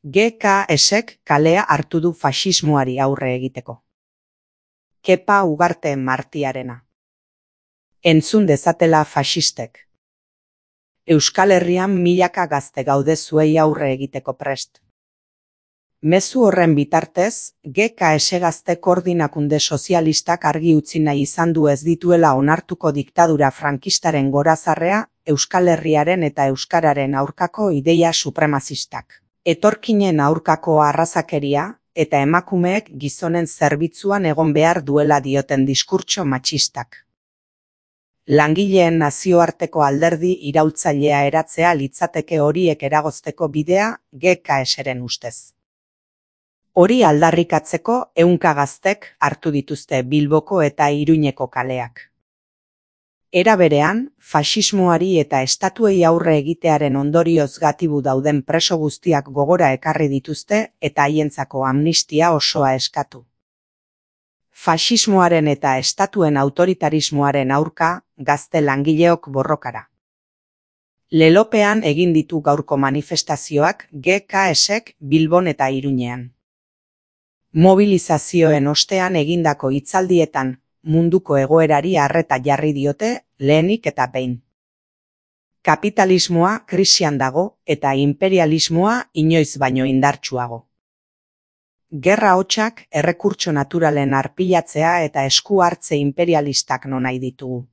GKSek kalea hartu du faxismoari aurre egiteko. Kepa Ugarte Martiarena. Entzun dezatela faxistek. Euskal Herrian milaka gazte gaude zuei aurre egiteko prest. Mezu horren bitartez, GKS Gazte Koordinakunde Sozialistak argi utzi nahi izan du ez dituela onartuko diktadura frankistaren gorazarrea, Euskal Herriaren eta Euskararen aurkako ideia supremazistak. Etorkinen aurkako arrazakeria, eta emakumeek gizonen zerbitzuan egon behar duela dioten diskurtso matxistak. Langileen nazioarteko alderdi iraultzailea eratzea litzateke horiek eragozteko bidea GKSren ustez. Hori aldarrikatzeko ehunka gaztek hartu dituzte Bilboko eta Iruñeko kaleak. Era berean, faxismoari eta estatuei aurre egitearen ondorioz gatibu dauden preso guztiak gogora ekarri dituzte eta haientzako amnistia osoa eskatu. Faxismoaren eta estatuen autoritarismoaren aurka gazte langileok borrokara. Lelopean egin ditu gaurko manifestazioak GKSek Bilbon eta Iruñean. Mobilizazioen ostean egindako hitzaldietan munduko egoerari arreta jarri diote lehenik eta behin. Kapitalismoa krisian dago eta imperialismoa inoiz baino indartsuago. Gerra hotsak errekurtso naturalen arpilatzea eta esku hartze imperialistak nahi ditugu.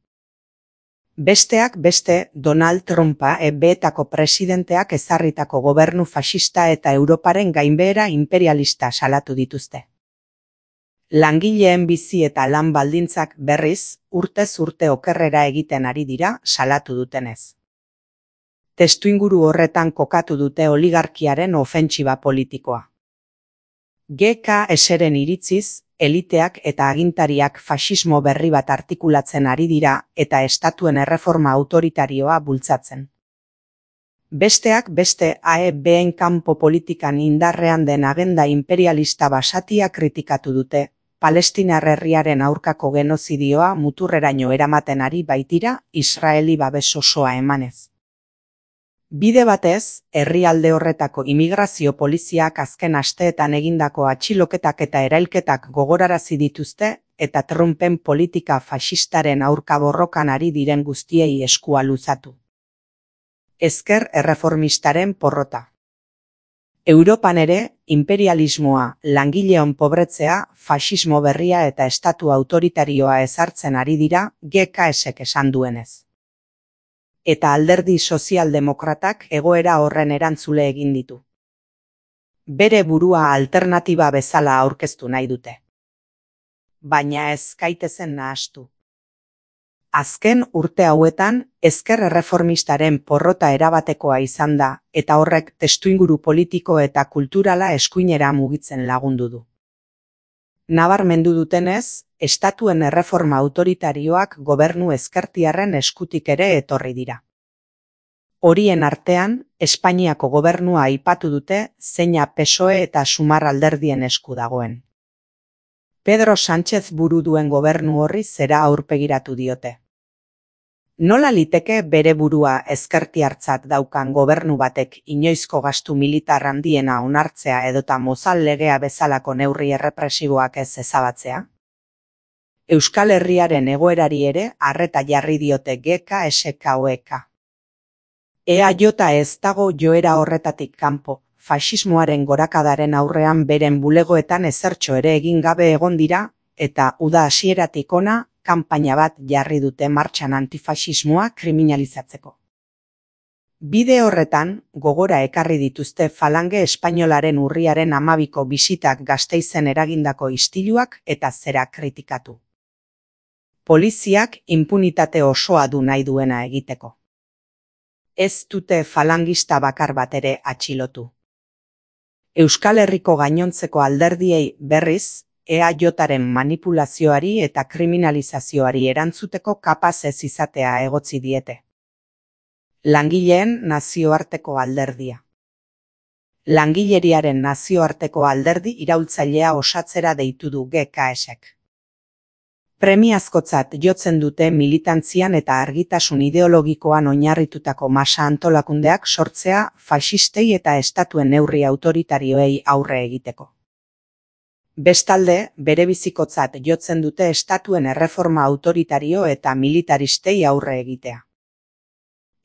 Besteak beste, Donald Trumpa EB-etako presidenteak ezarritako gobernu faxista eta Europaren gainbehera imperialista salatu dituzte. Langileen bizi eta lan baldintzak berriz, urtez urte okerrera egiten ari dira salatu dutenez. Testuinguru horretan kokatu dute oligarkiaren ofentsiba politikoa. GKSren iritziz, eliteak eta agintariak faxismo berri bat artikulatzen ari dira eta estatuen erreforma autoritarioa bultzatzen. Besteak beste AEB-en kanpo politikan indarrean den agenda imperialista basatia kritikatu dute, Palestinar herriaren aurkako genozidioa muturreraino eramaten ari baitira Israeli babes osoa emanez. Bide batez, herrialde horretako immigrazio poliziak azken asteetan egindako atxiloketak eta erailketak gogorarazi dituzte eta Trumpen politika faxistaren aurka borrokan ari diren guztiei eskua luzatu. Ezker erreformistaren porrota. Europan ere, imperialismoa, langileon pobretzea, faxismo berria eta estatu autoritarioa ezartzen ari dira GKSek esan duenez. Eta alderdi sozialdemokratak egoera horren erantzule egin ditu. Bere burua alternatiba bezala aurkeztu nahi dute. Baina ez gaitezen nahastu. Azken urte hauetan, ezker erreformistaren porrota erabatekoa izan da, eta horrek testuinguru politiko eta kulturala eskuinera mugitzen lagundu du. Nabarmendu dutenez, estatuen erreforma autoritarioak gobernu ezkertiarren eskutik ere etorri dira. Horien artean, Espainiako gobernua aipatu dute zeina PSOE eta Sumar alderdien esku dagoen. Pedro Sánchez buru duen gobernu horri zera aurpegiratu diote. Nola liteke bere burua ezkertiartzat daukan gobernu batek inoizko gastu militar handiena onartzea edota Mozal legea bezalako neurri errepresiboak ez ezabatzea? Euskal Herriaren egoerari ere arreta jarri diote GKSkoek. EAJ ez dago joera horretatik kanpo, faxismoaren gorakadaren aurrean beren bulegoetan ezertxo ere egin gabe egon dira, eta uda hasieratik hona, kanpaina bat jarri dute martxan antifaxismoa kriminalizatzeko. Bide horretan, gogora ekarri dituzte Falange Espainolaren urriaren 12ko bisitak Gasteizen eragindako istiluak eta zera kritikatu. Poliziak inpunitate osoa du nahi duena egiteko. Ez dute falangista bakar bat ere atxilotu. Euskal Herriko gainontzeko alderdiei berriz, EAJaren manipulazioari eta kriminalizazioari erantzuteko kapaz ez izatea egotzi diete. Langileen nazioarteko alderdia. Langileriaren nazioarteko alderdi iraultzailea osatzera deitu du GKSek. Premiazkotzat jotzen dute militantzian eta argitasun ideologikoan oinarritutako masa antolakundeak sortzea faxistei eta estatuen neurri autoritarioei aurre egiteko. Bestalde, berebizikotzat jotzen dute estatuen erreforma autoritario eta militaristei aurre egitea.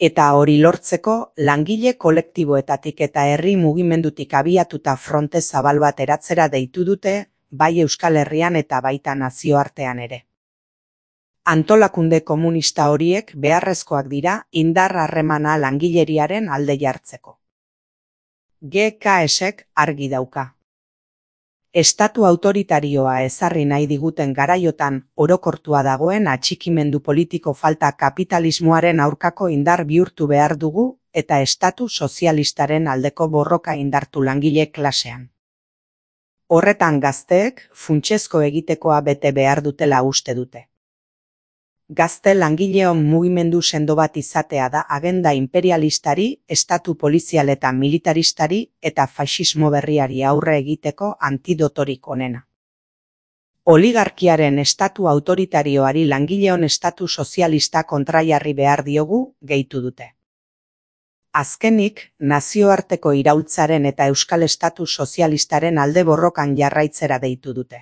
Eta hori lortzeko, langile kolektiboetatik eta herri mugimendutik abiatuta fronte zabal bat eratzera deitu dute, bai Euskal Herrian eta baita nazioartean ere. Antolakunde komunista horiek beharrezkoak dira indar harremana langileriaren alde jartzeko. GKSek argi dauka. Estatu autoritarioa ezarri nahi diguten garaiotan orokortua dagoen atxikimendu politiko falta kapitalismoaren aurkako indar bihurtu behar dugu eta estatu sozialistaren aldeko borroka indartu langile klasean. Horretan gazteek funtsezko egitekoa bete behar dutela uste dute. Gazte langileon mugimendu sendo bat izatea da agenda imperialistari, estatu polizial eta militaristari eta faxismo berriari aurre egiteko antidotorik onena. Oligarkiaren estatu autoritarioari langileon estatu sozialista kontraiarri behar diogu, gehitu dute. Azkenik, nazioarteko iraultzaren eta euskal estatu sozialistaren alde borrokan jarraitzera deitu dute.